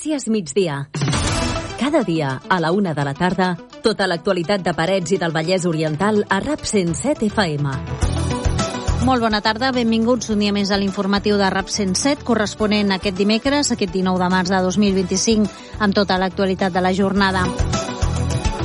Notícies migdia. Cada dia, a la 1 de la tarda, tota l'actualitat de Parets i del Vallès Oriental a RAP 107 FM. Molt bona tarda, benvinguts un dia més a l'informatiu de RAP 107, corresponent aquest dimecres, aquest 19 de març de 2025, amb tota l'actualitat de la jornada.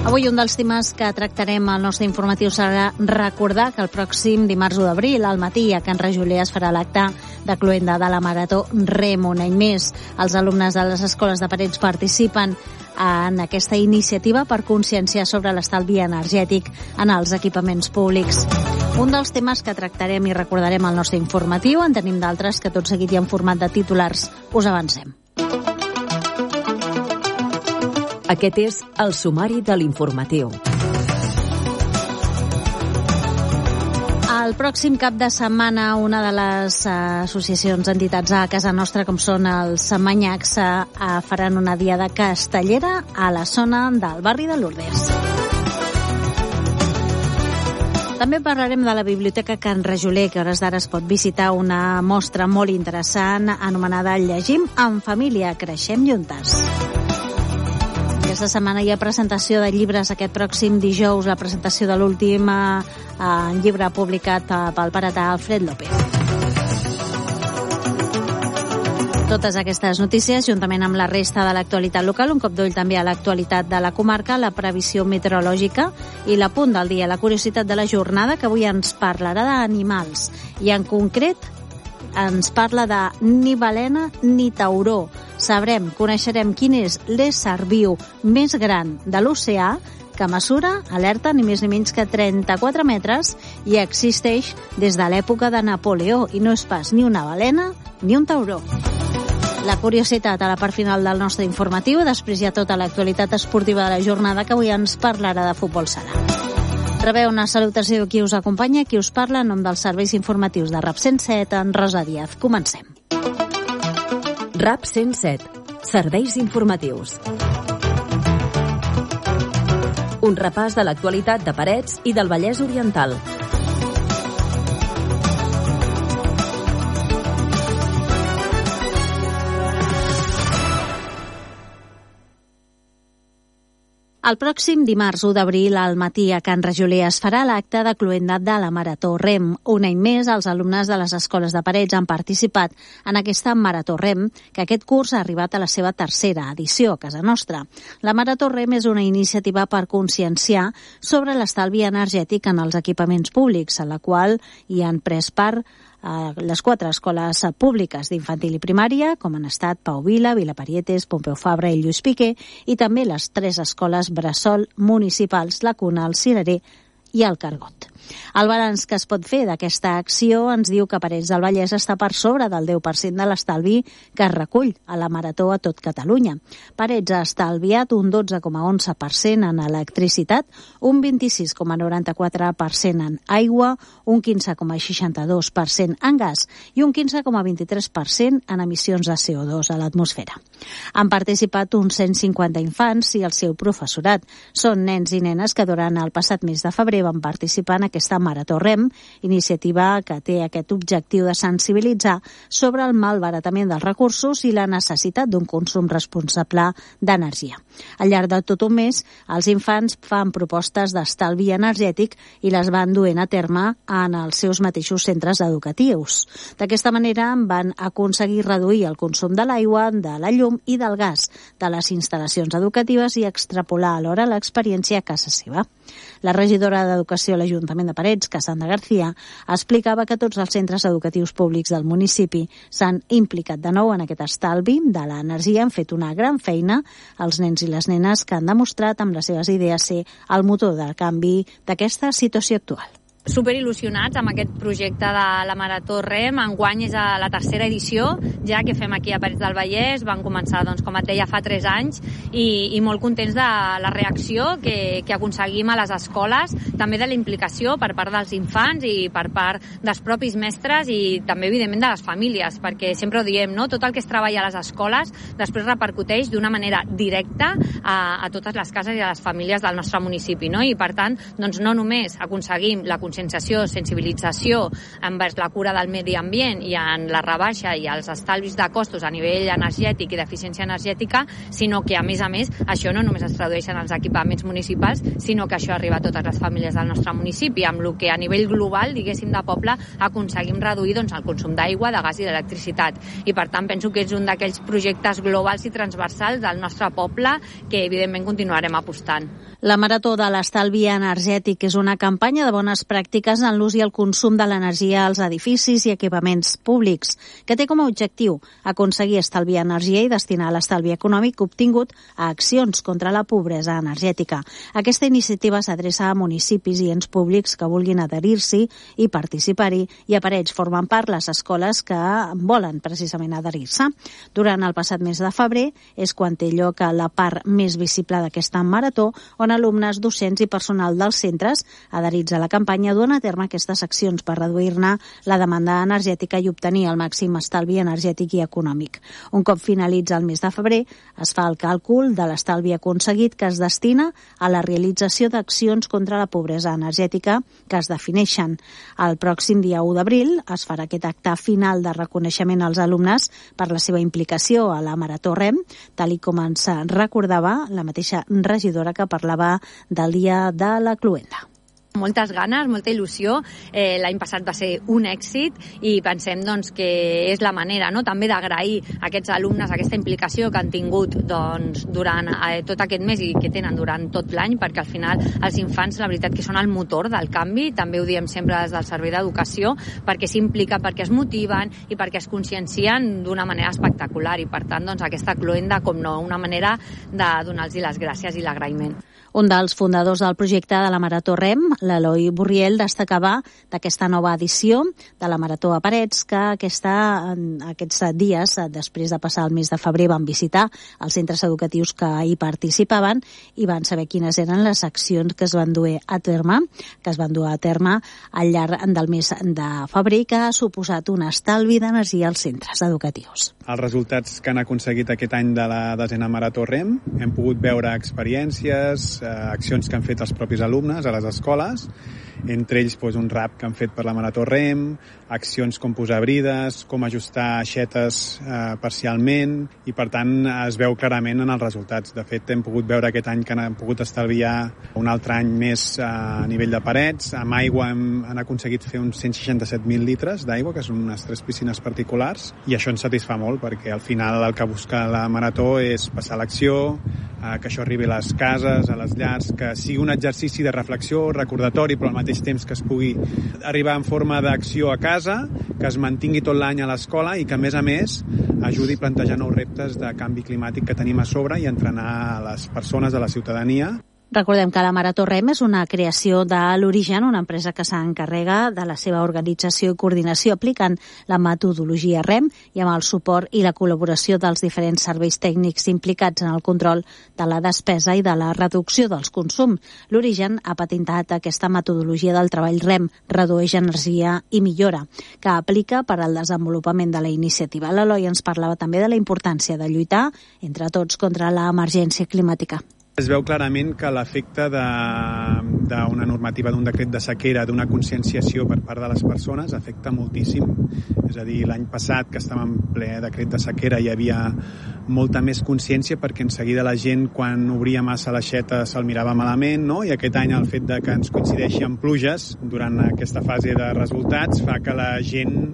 Avui un dels temes que tractarem al nostre informatiu serà recordar que el pròxim dimarts 1 d'abril, al matí, a Can Rajoler es farà l'acte de cloenda de la Marató REM. Un any més, els alumnes de les escoles de Parets participen en aquesta iniciativa per conscienciar sobre l'estalvi energètic en els equipaments públics. Un dels temes que tractarem i recordarem al nostre informatiu, en tenim d'altres que tot seguit i en format de titulars us avancem. Aquest és el sumari de l'informatiu. El pròxim cap de setmana, una de les associacions, entitats a casa nostra, com són els Manyacs, faran una diada castellera a la zona del barri de Lourdes. També parlarem de la Biblioteca Can Rajoler, que a hores d'ara es pot visitar una mostra molt interessant anomenada Llegim en família, creixem juntes. Aquesta setmana hi ha presentació de llibres aquest pròxim dijous, la presentació de l'últim llibre publicat pel paratà Alfred López. Totes aquestes notícies, juntament amb la resta de l'actualitat local, un cop d'ull també a l'actualitat de la comarca, la previsió meteorològica i l'apunt del dia, la curiositat de la jornada, que avui ens parlarà d'animals. I en concret ens parla de ni balena ni tauró. Coneixerem quin és l'ésser viu més gran de l'oceà, que mesura, alerta, ni més ni menys que 34 metres i existeix des de l'època de Napoleó, i no és pas ni una balena ni un tauró. La curiositat a la part final del nostre informatiu, després hi ha tota l'actualitat esportiva de la jornada, que avui ens parlarà de futbol sala. Rebeu una salutació qui us acompanya, qui us parla en nom dels serveis informatius de RAP 107, en Rosa Díaz. Comencem. RAP 107. Serveis informatius. Un repàs de l'actualitat de Parets i del Vallès Oriental. El pròxim dimarts 1 d'abril al matí a Can Rajoler es farà l'acte de cloenda de la Marató REM. Un any més, els alumnes de les escoles de Parets han participat en aquesta Marató REM, que aquest curs ha arribat a la seva tercera edició a casa nostra. La Marató REM és una iniciativa per conscienciar sobre l'estalvi energètic en els equipaments públics, en la qual hi han pres part les 4 escoles públiques d'infantil i primària, com han estat Pau Vila, Vilaparietes, Pompeu Fabra i Lluís Piqué, i també les 3 escoles bressol municipals, la Cuna, el Cirerer i el Cargot. El balanç que es pot fer d'aquesta acció ens diu que Parets del Vallès està per sobre del 10% de l'estalvi que es recull a la Marató a tot Catalunya. Parets ha estalviat un 12,11% en electricitat, un 26,94% en aigua, un 15,62% en gas i un 15,23% en emissions de CO2 a l'atmosfera. Han participat uns 150 infants i el seu professorat. Són nens i nenes que durant el passat mes de febrer van participar en aquesta Marató REM, iniciativa que té aquest objectiu de sensibilitzar sobre el malbaratament dels recursos i la necessitat d'un consum responsable d'energia. Al llarg de tot un mes, els infants fan propostes d'estalvi energètic i les van duent a terme en els seus mateixos centres educatius. D'aquesta manera van aconseguir reduir el consum de l'aigua, de la llum i del gas de les instal·lacions educatives i extrapolar alhora l'experiència a casa seva. La regidora d'Educació a l'Ajuntament de Parets, Cassandra García, explicava que tots els centres educatius públics del municipi s'han implicat de nou en aquest estalvi de l'energia, han fet una gran feina els nens i les nenes que han demostrat amb les seves idees ser el motor del canvi d'aquesta situació actual. Superil·lusionats amb aquest projecte de la Marató REM. Enguany és la tercera edició ja que fem aquí a Parets del Vallès. Van començar, com et deia, fa 3 anys i molt contents de la reacció que aconseguim a les escoles, també de la implicació per part dels infants i per part dels propis mestres i també, evidentment, de les famílies, perquè sempre ho diem, no? Tot el que es treballa a les escoles després repercuteix d'una manera directa a totes les cases i a les famílies del nostre municipi, no? I, per tant, no només aconseguim la conscienciació conscienciació, sensibilització envers la cura del medi ambient i en la rebaixa i els estalvis de costos a nivell energètic i d'eficiència energètica, sinó que, a més, això no només es tradueix en els equipaments municipals, sinó que això arriba a totes les famílies del nostre municipi, amb el que a nivell global, diguéssim, de poble, aconseguim reduir el consum d'aigua, de gas i d'electricitat. I, per tant, penso que és un d'aquells projectes globals i transversals del nostre poble que, evidentment, continuarem apostant. La Marató de l'Estalvi Energètic és una campanya de bones pràctiques en l'ús i el consum de l'energia als edificis i equipaments públics, que té com a objectiu aconseguir estalviar energia i destinar l'estalvi econòmic obtingut a accions contra la pobresa energètica. Aquesta iniciativa s'adreça a municipis i ens públics que vulguin adherir-s'hi i participar-hi, i a Parets formen part les escoles que volen precisament adherir-se. Durant el passat mes de febrer és quan té lloc la part més visible d'aquesta marató, on alumnes, docents i personal dels centres adherits a la campanya duen a terme aquestes accions per reduir-ne la demanda energètica i obtenir el màxim estalvi energètic i econòmic. Un cop finalitza el mes de febrer, es fa el càlcul de l'estalvi aconseguit que es destina a la realització d'accions contra la pobresa energètica que es defineixen. El pròxim dia 1 d'abril es farà aquest acte final de reconeixement als alumnes per la seva implicació a la Marató REM, tal com ens recordava la mateixa regidora que parlava del dia de la cloenda. Moltes ganes, molta il·lusió. L'any passat va ser un èxit i pensem que és la manera també d'agrair a aquests alumnes aquesta implicació que han tingut durant tot aquest mes i que tenen durant tot l'any, perquè al final els infants la veritat que són el motor del canvi, també ho diem sempre des del Servei d'Educació, perquè s'impliquen, perquè es motiven i perquè es consciencien d'una manera espectacular, i per tant aquesta cloenda, com no, una manera de donar-los les gràcies i l'agraïment. Un dels fundadors del projecte de la Marató REM, l'Eloi Borriel, destacava d'aquesta nova edició de la Marató a Parets que aquests dies, després de passar el mes de febrer, van visitar els centres educatius que hi participaven i van saber quines eren les accions que es van dur a terme al llarg del mes de febrer, que ha suposat un estalvi d'energia als centres educatius. Els resultats que han aconseguit aquest any de la 10a Marató REM, hem pogut veure experiències, accions que han fet els propis alumnes a les escoles, entre ells un rap que han fet per la Marató REM, accions com posar brides, com ajustar aixetes parcialment, i per tant es veu clarament en els resultats. De fet, hem pogut veure aquest any que han pogut estalviar un altre any més a nivell de Parets. Amb aigua han aconseguit fer uns 167.000 litres d'aigua, que són unes 3 piscines particulars, i això ens satisfà molt, perquè al final el que busca la Marató és passar l'acció, que això arribi a les cases, a les llars, que sigui un exercici de reflexió, recordatori, però al mateix temps que es pugui arribar en forma d'acció a casa, que es mantingui tot l'any a l'escola i que, a més, ajudi a plantejar nous reptes de canvi climàtic que tenim a sobre i entrenar a les persones, a la ciutadania. Recordem que la Marató REM és una creació de l'Origen, una empresa que s'encarrega de la seva organització i coordinació aplicant la metodologia REM i amb el suport i la col·laboració dels diferents serveis tècnics implicats en el control de la despesa i de la reducció dels consums. L'Origen ha patentat aquesta metodologia del treball REM, redueix energia i millora, que aplica per al desenvolupament de la iniciativa. L'Eloi ens parlava també de la importància de lluitar entre tots contra l'emergència climàtica. Es veu clarament que l'efecte d'una normativa, d'un decret de sequera, d'una conscienciació per part de les persones afecta moltíssim. És a dir, l'any passat, que estàvem en ple decret de sequera, hi havia molta més consciència perquè en seguida la gent, quan obria massa l'aixeta, se'l mirava malament, no? I aquest any el fet de que ens coincideixi amb pluges durant aquesta fase de resultats fa que la gent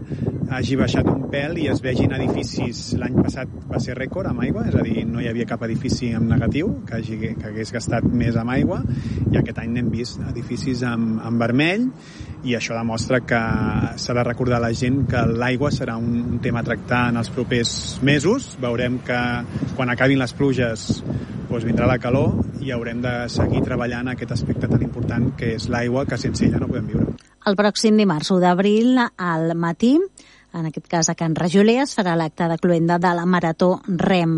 hagi baixat un pèl i es vegin edificis. L'any passat va ser rècord amb aigua, és a dir, no hi havia cap edifici en negatiu que hagués gastat més amb aigua, i aquest any n'hem vist edificis en vermell, i això demostra que s'ha de recordar a la gent que l'aigua serà un tema a tractar en els propers mesos. Veurem que quan acabin les pluges vindrà la calor i haurem de seguir treballant aquest aspecte tan important que és l'aigua, que sense ella no podem viure. El pròxim dimarts 1 d'abril al matí, en aquest cas a Can Rajoler, es farà l'acte de cloenda de la Marató REM.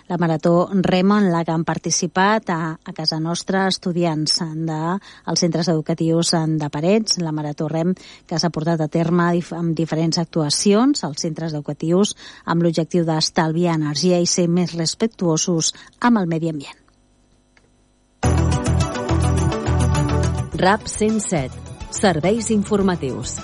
La Marató REM en la que han participat a casa nostra estudiants dels centres educatius de Parets. La Marató REM que s'ha portat a terme amb diferents actuacions als centres educatius amb l'objectiu d'estalviar energia i ser més respectuosos amb el medi ambient. RAP 107. Serveis informatius.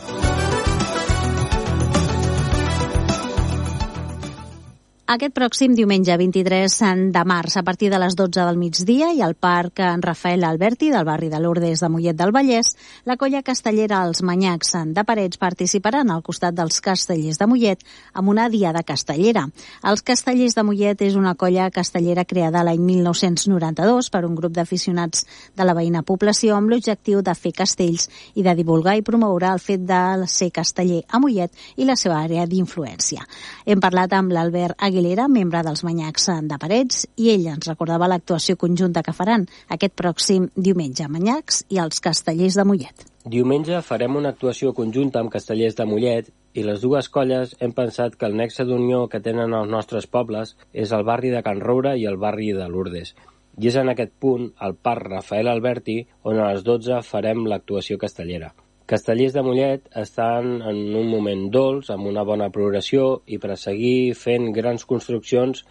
Aquest pròxim diumenge 23 de març, a partir de les 12 del migdia, i al Parc Rafael Alberti del barri de Lourdes de Mollet del Vallès, la colla castellera Els Manyacs de Parets participaran al costat dels Castellers de Mollet amb una diada castellera. Els Castellers de Mollet és una colla castellera creada l'any 1992 per un grup d'aficionats de la veïna població amb l'objectiu de fer castells i de divulgar i promoure el fet de ser casteller a Mollet i la seva àrea d'influència. Hem parlat amb l'Albert Aguilera, membre dels Manyacs de Parets, i ell ens recordava l'actuació conjunta que faran aquest pròxim diumenge, Manyacs i els Castellers de Mollet. Diumenge farem una actuació conjunta amb Castellers de Mollet i les dues colles hem pensat que el nexe d'unió que tenen els nostres pobles és el barri de Can Roure i el barri de Lourdes. I és en aquest punt, al Parc Rafael Alberti, on a les 12 farem l'actuació castellera. Castellers de Mollet estan en un moment dolç, amb una bona progressió, i per a seguir fent grans construccions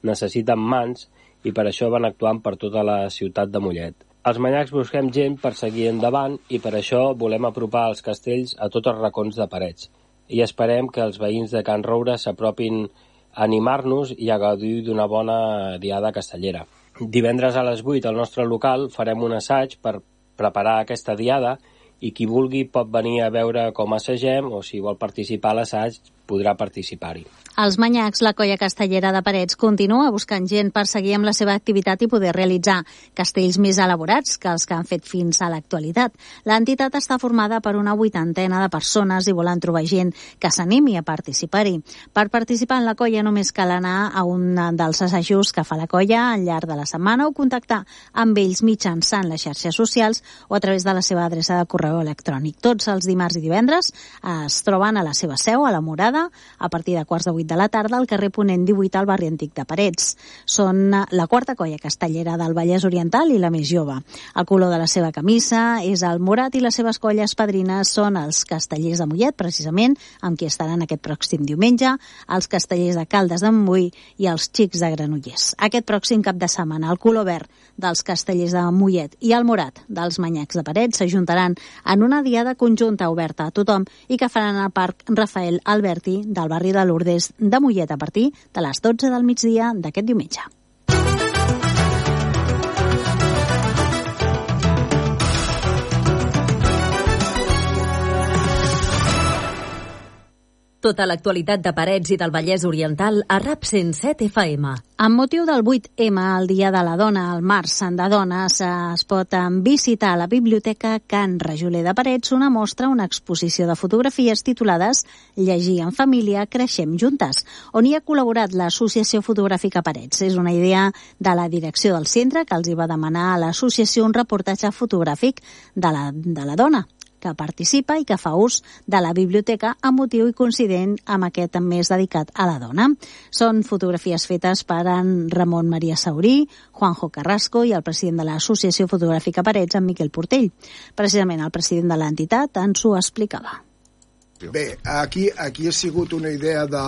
necessiten mans i per això van actuant per tota la ciutat de Mollet. Els Manyacs busquem gent per seguir endavant i per això volem apropar els castells a tots els racons de Parets. I esperem que els veïns de Can Roure s'apropin a animar-nos i a gaudir d'una bona diada castellera. Divendres a les 8 al nostre local farem un assaig per preparar aquesta diada i qui vulgui pot venir a veure com assagem o si vol participar a l'assaig podrà participar-hi. Els Manyacs, la colla castellera de Parets, continua buscant gent per seguir amb la seva activitat i poder realitzar castells més elaborats que els que han fet fins a l'actualitat. L'entitat està formada per una 80 de persones i volen trobar gent que s'animi a participar-hi. Per participar en la colla només cal anar a un dels assajos que fa la colla al llarg de la setmana o contactar amb ells mitjançant les xarxes socials o a través de la seva adreça de correu electrònic. Tots els dimarts i divendres es troben a la seva seu, a la Morada, a partir de 7:45 de la tarda al carrer Ponent 18 al barri antic de Parets. Són la quarta colla castellera del Vallès Oriental i la més jove. El color de la seva camisa és el morat i les seves colles padrines són els Castellers de Mollet, precisament, amb qui estaran aquest pròxim diumenge, els Castellers de Caldes de Montbui i els Xics de Granollers. Aquest pròxim cap de setmana, el color verd dels Castellers de Mollet i el morat dels Manyacs de Parets s'ajuntaran en una diada conjunta oberta a tothom i que faran al Parc Rafael Alberti del barri de Lourdes de Mollet a partir de les 12 del migdia d'aquest diumenge. Tota l'actualitat de Parets i del Vallès Oriental a RAP 107 FM. Amb motiu del 8M, el Dia de la Dona, el març de dones, es pot visitar a la Biblioteca Can Rajoler de Parets una mostra, una exposició de fotografies titulades Llegir en família, creixem juntes, on hi ha col·laborat l'Associació Fotogràfica Parets. És una idea de la direcció del centre que els hi va demanar a l'associació un reportatge fotogràfic de la dona que participa i que fa ús de la biblioteca amb motiu i coincident amb aquest mes dedicat a la dona. Són fotografies fetes per en Ramon Maria Saurí, Juanjo Carrasco i el president de l'Associació Fotogràfica Parets, en Miquel Portell. Precisament el president de l'entitat ens ho explicava. Bé, aquí ha sigut una idea de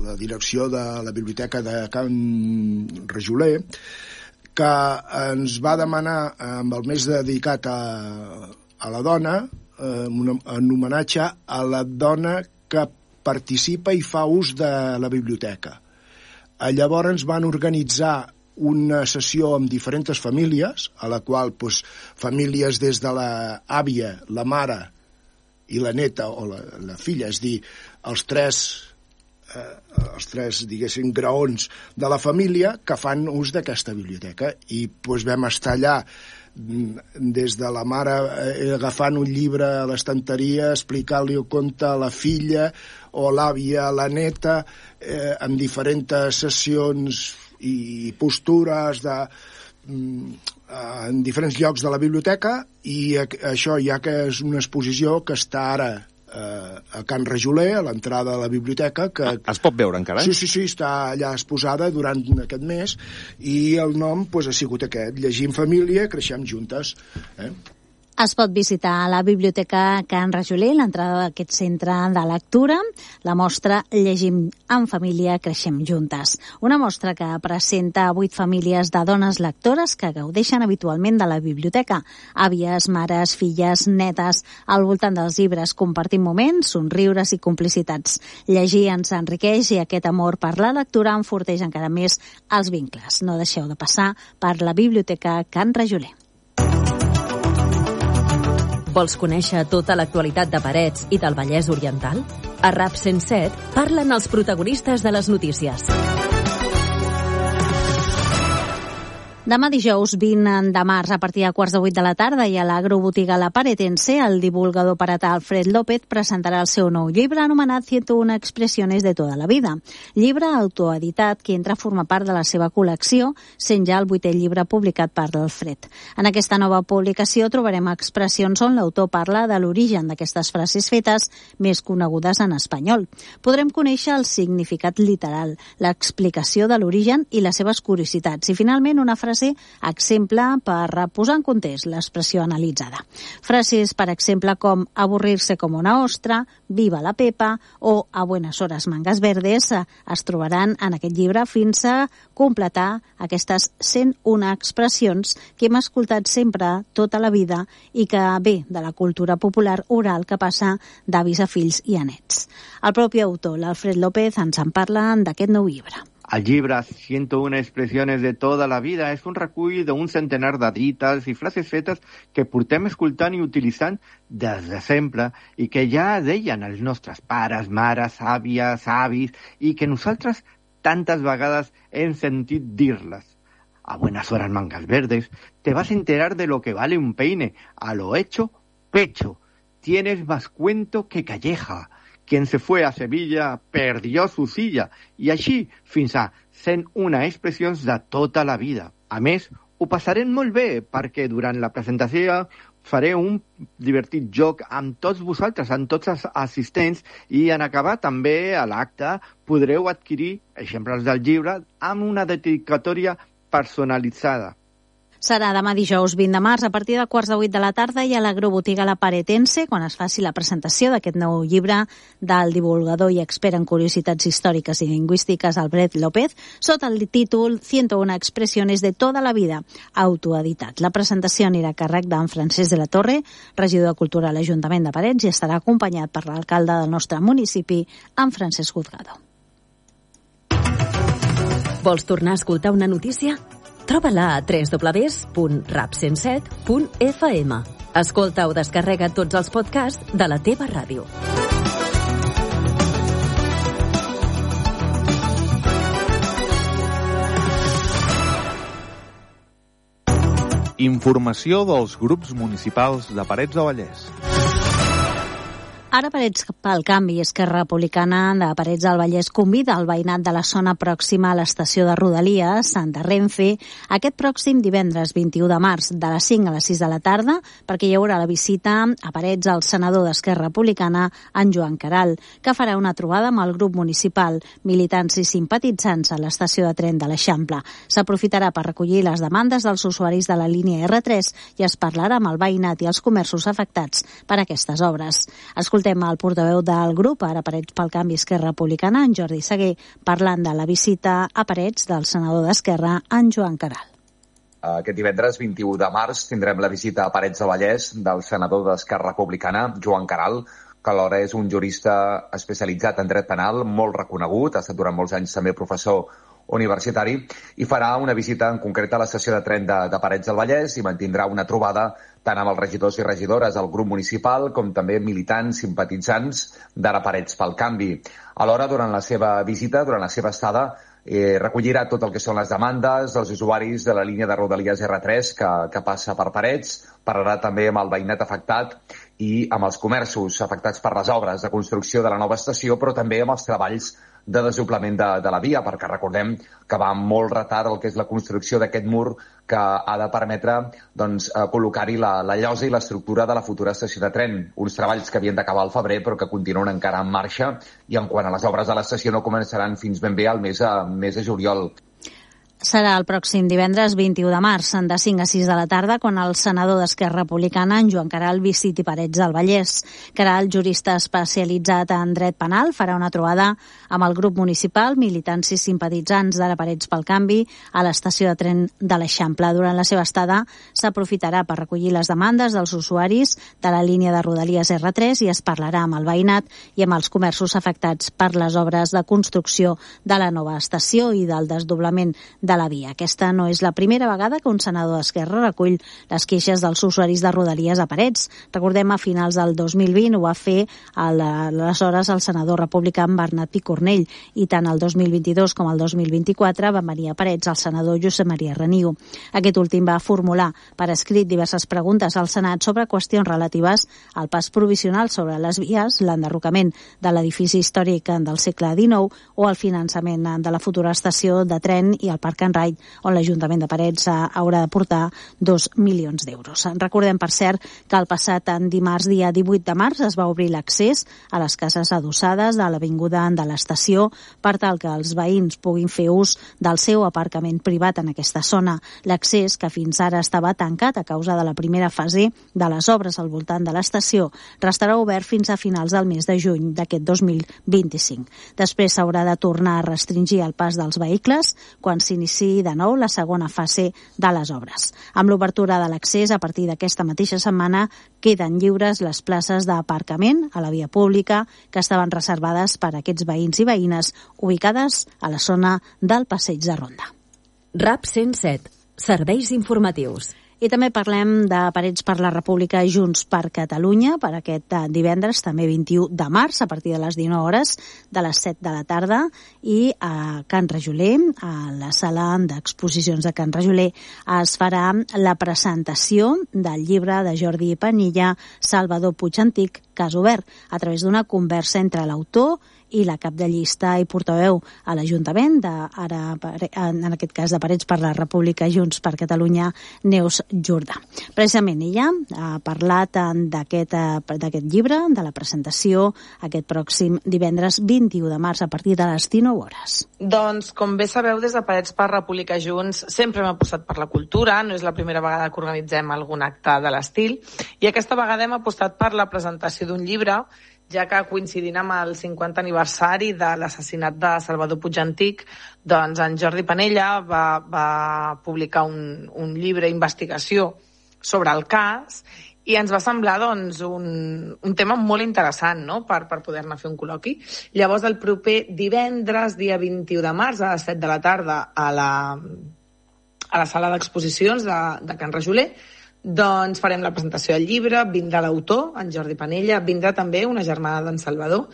la direcció de la biblioteca de Can Rajoler que ens va demanar amb el mes dedicat a la dona, en homenatge a la dona que participa i fa ús de la biblioteca. Llavors van organitzar una sessió amb diferents famílies, a la qual famílies des de l'àvia, la mare i la neta o la filla, és dir, els tres, diguéssim, graons de la família que fan ús d'aquesta biblioteca. I vam estar allà des de la mare agafant un llibre a l'estanteria, explicant-li el conte a la filla o l'àvia a la neta, amb diferents sessions i postures en diferents llocs de la biblioteca, i això ja que és una exposició que està ara a Can Rajoler, a l'entrada de la biblioteca. Es pot veure encara? Sí, està allà exposada durant aquest mes, i el nom ha sigut aquest, Llegir en família, creixem juntes. Es pot visitar la Biblioteca Can Rajoler, l'entrada d'aquest centre de lectura, la mostra Llegim en família, creixem juntes. Una mostra que presenta 8 famílies de dones lectores que gaudeixen habitualment de la biblioteca. Àvies, mares, filles, netes, al voltant dels llibres, compartint moments, somriures i complicitats. Llegir ens enriqueix i aquest amor per la lectura enforteix encara més els vincles. No deixeu de passar per la Biblioteca Can Rajoler. Vols conèixer tota l'actualitat de Parets i del Vallès Oriental? A RAP 107 parlen els protagonistes de les notícies. Demà dijous 20 de març, a partir de 7:15 de la tarda, i a l'agrobotiga La Paretense, el divulgador paratà Alfred López presentarà el seu nou llibre anomenat 101 expresiones de toda la vida. Llibre autoeditat que entra a formar part de la seva col·lecció, sent ja el 8è llibre publicat per l'Alfred. En aquesta nova publicació trobarem expressions on l'autor parla de l'origen d'aquestes frases fetes més conegudes en espanyol. Podrem conèixer el significat literal, l'explicació de l'origen i les seves curiositats. I finalment una frase exemple per posar en context l'expressió analitzada. Frases, per exemple, com avorrir-se com una ostra, viva la Pepa o a buenas horas mangas verdes es trobaran en aquest llibre fins a completar aquestes 101 expressions que hem escoltat sempre tota la vida i que ve de la cultura popular oral que passa d'avis a fills i a nets. El propi autor, l'Alfred López, ens en parla d'aquest nou llibre. El llibre 101 expressiones de toda la vida és un recull d'un centenar de dites i frases fetes que portem escoltant i utilitzant des de sempre i que ja deien els nostres pares, mares, àvies, avis i que nosaltres tantes vegades hem sentit dir-les. A buenas horas mangas verdes, te vas a enterar de lo que vale un peine. A lo hecho, pecho. Tienes más cuento que calleja. Quien se fue a Sevilla perdió su silla. I així fins a 101 expressions de tota la vida. A més, ho passarem molt bé perquè durant la presentació faré un divertit joc amb tots vosaltres, amb tots els assistents, i en acabar també a l'acte podreu adquirir exemples del llibre amb una dedicatòria personalitzada. Serà demà dijous 20 de març a partir de 7:15 de la tarda i a l'agrobotiga La Paretense quan es faci la presentació d'aquest nou llibre del divulgador i expert en curiositats històriques i lingüístiques Alfred López sota el títol 101 expresiones de toda la vida, autoeditat. La presentació anirà a càrrec d'en Francesc de la Torre, regidor de Cultura a l'Ajuntament de Parets, i estarà acompanyat per l'alcalde del nostre municipi, en Francesc Guzgado. Vols tornar a escoltar una notícia? Troba-la a www.rap107.fm. Escolta o descarrega tots els podcasts de la teva ràdio. Informació dels grups municipals de Parets del Vallès. Ara Parets pel Canvi, Esquerra Republicana de Parets del Vallès convida el veïnat de la zona pròxima a l'estació de Rodalies, Santa Renfe, aquest pròxim divendres 21 de març, de les 5 a les 6 de la tarda, perquè hi haurà la visita a Parets al senador d'Esquerra Republicana, en Joan Caral, que farà una trobada amb el grup municipal, militants i simpatitzants a l'estació de tren de l'Eixample. S'aprofitarà per recollir les demandes dels usuaris de la línia R3 i es parlarà amb el veïnat i els comerços afectats per aquestes obres. Escoltem el portaveu del grup, ara Parets pel Canvi, Esquerra Republicana, en Jordi Seguer, parlant de la visita a Parets del senador d'Esquerra, en Joan Caral. Aquest divendres 21 de març tindrem la visita a Parets del Vallès del senador d'Esquerra Republicana, Joan Caral, que alhora és un jurista especialitzat en dret penal, molt reconegut, ha estat durant molts anys també professor universitari, i farà una visita en concret a l'estació de tren de Parets del Vallès i mantindrà una trobada tant amb els regidors i regidores del grup municipal com també militants, simpatitzants d'Ara Parets pel Canvi. Alhora, durant la seva visita, durant la seva estada, recollirà tot el que són les demandes dels usuaris de la línia de Rodalies R3 que passa per Parets, parlarà també amb el veïnat afectat i amb els comerços afectats per les obres de construcció de la nova estació, però també amb els treballs de desdoblament de la via, perquè recordem que va amb molt retard el que és la construcció d'aquest mur que ha de permetre col·locar-hi la llosa i l'estructura de la futura estació de tren. Uns treballs que havien d'acabar al febrer però que continuen encara en marxa i en quant a les obres de l'estació no començaran fins ben bé al mes de juliol. serà el pròxim divendres 21 de març, de 5 a 6 de la tarda, quan el senador d'Esquerra Republicana, en Joan Queralt, visiti Parets del Vallès. Queralt, jurista especialitzat en dret penal, farà una trobada amb el grup municipal, militants i simpatitzants de Parets pel Canvi a l'estació de tren de l'Eixample. Durant la seva estada s'aprofitarà per recollir les demandes dels usuaris de la línia de Rodalies R3 i es parlarà amb el veïnat i amb els comerços afectats per les obres de construcció de la nova estació i del desdoblament de la via. Aquesta no és la primera vegada que un senador d'Esquerra recull les queixes dels usuaris de Rodalies a Parets. Recordem, a finals del 2020 ho va fer aleshores el senador republicà Bernat Picornell, i tant el 2022 com el 2024 van venir a Parets el senador Josep Maria Reniu. Aquest últim va formular per escrit diverses preguntes al Senat sobre qüestions relatives al pas provisional sobre les vies, l'enderrocament de l'edifici històric del segle XIX o el finançament de la futura estació de tren i el Parc Can Ride, on l'Ajuntament de Parets haurà de portar 2 milions d'euros. Recordem, per cert, que el passat dimarts, dia 18 de març, es va obrir l'accés a les cases adossades de l'avinguda de l'estació per tal que els veïns puguin fer ús del seu aparcament privat en aquesta zona. L'accés, que fins ara estava tancat a causa de la primera fase de les obres al voltant de l'estació, restarà obert fins a finals del mes de juny d'aquest 2025. Després s'haurà de tornar a restringir el pas dels vehicles quan s'inici de nou la segona fase de les obres. Amb l'obertura de l'accés, a partir d'aquesta mateixa setmana, queden lliures les places d'aparcament a la via pública que estaven reservades per a aquests veïns i veïnes ubicades a la zona del Passeig de Ronda. RAP 107. Serveis informatius. I també parlem de Parets per la República Junts per Catalunya per aquest divendres, també 21 de març, a partir de les 19 hores, de les 7 de la tarda, i a Can Rajoler, a la sala d'exposicions de Can Rajoler, es farà la presentació del llibre de Jordi Panilla, Salvador Puigantic, Cas obert, a través d'una conversa entre l'autor i la cap de llista i portaveu a l'Ajuntament, en aquest cas de Parets per la República Junts per Catalunya, Neus Jordà. Precisament ella ha parlat d'aquest llibre, de la presentació, aquest pròxim divendres 21 de març a partir de les 19 hores. Doncs, com bé sabeu, des de Parets per República Junts sempre hem apostat per la cultura, no és la primera vegada que organitzem algun acte de l'estil, i aquesta vegada hem apostat per la presentació d'un llibre, ja que coincidint amb el 50 aniversari de l'assassinat de Salvador Puigantic, doncs en Jordi Panella va publicar un llibre d'investigació sobre el cas i ens va semblar doncs, un tema molt interessant, no?, per poder-ne fer un col·loqui. Llavors, el proper divendres, dia 21 de març, a les 7 de la tarda, a la sala d'exposicions de Can Rajoler, doncs farem la presentació del llibre, vindrà l'autor, en Jordi Panella, vindrà també una germana d'en Salvador.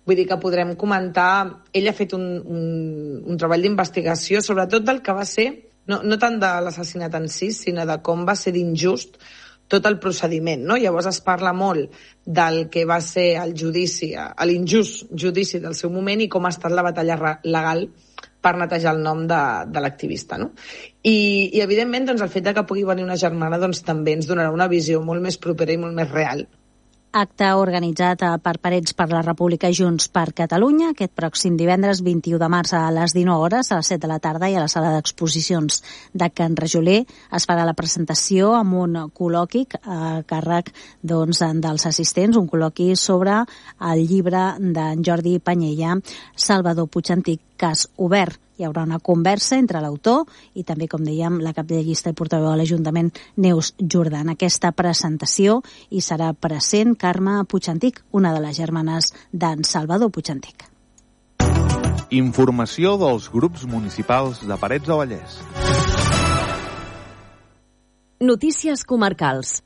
Vull dir que podrem comentar... Ell ha fet un treball d'investigació, sobretot del que va ser, no tant de l'assassinat en si, sinó de com va ser d'injust tot el procediment, no? Llavors es parla molt del que va ser el judici, l'injust judici del seu moment i com ha estat la batalla legal per netejar el nom de l'activista, no? I evidentment, doncs, el fet de que pugui venir una germana doncs, també ens donarà una visió molt més propera i molt més real. Acte organitzat per Parets per la República Junts per Catalunya aquest pròxim divendres 21 de març a les 19 hores, a les 7 de la tarda, i a la sala d'exposicions de Can Rajoler es farà la presentació amb un col·loqui a càrrec doncs, dels assistents, un col·loqui sobre el llibre d'en Jordi Panella, Salvador Puigantic, Cas obert. Hi haurà una conversa entre l'autor i també, com dèiem, la cap de llista i portaveu de l'Ajuntament, Neus Jordà. En aquesta presentació hi serà present Carme Puigantic, una de les germanes d'en Salvador Puigantic. Informació dels grups municipals de Parets del Vallès. Notícies comarcals.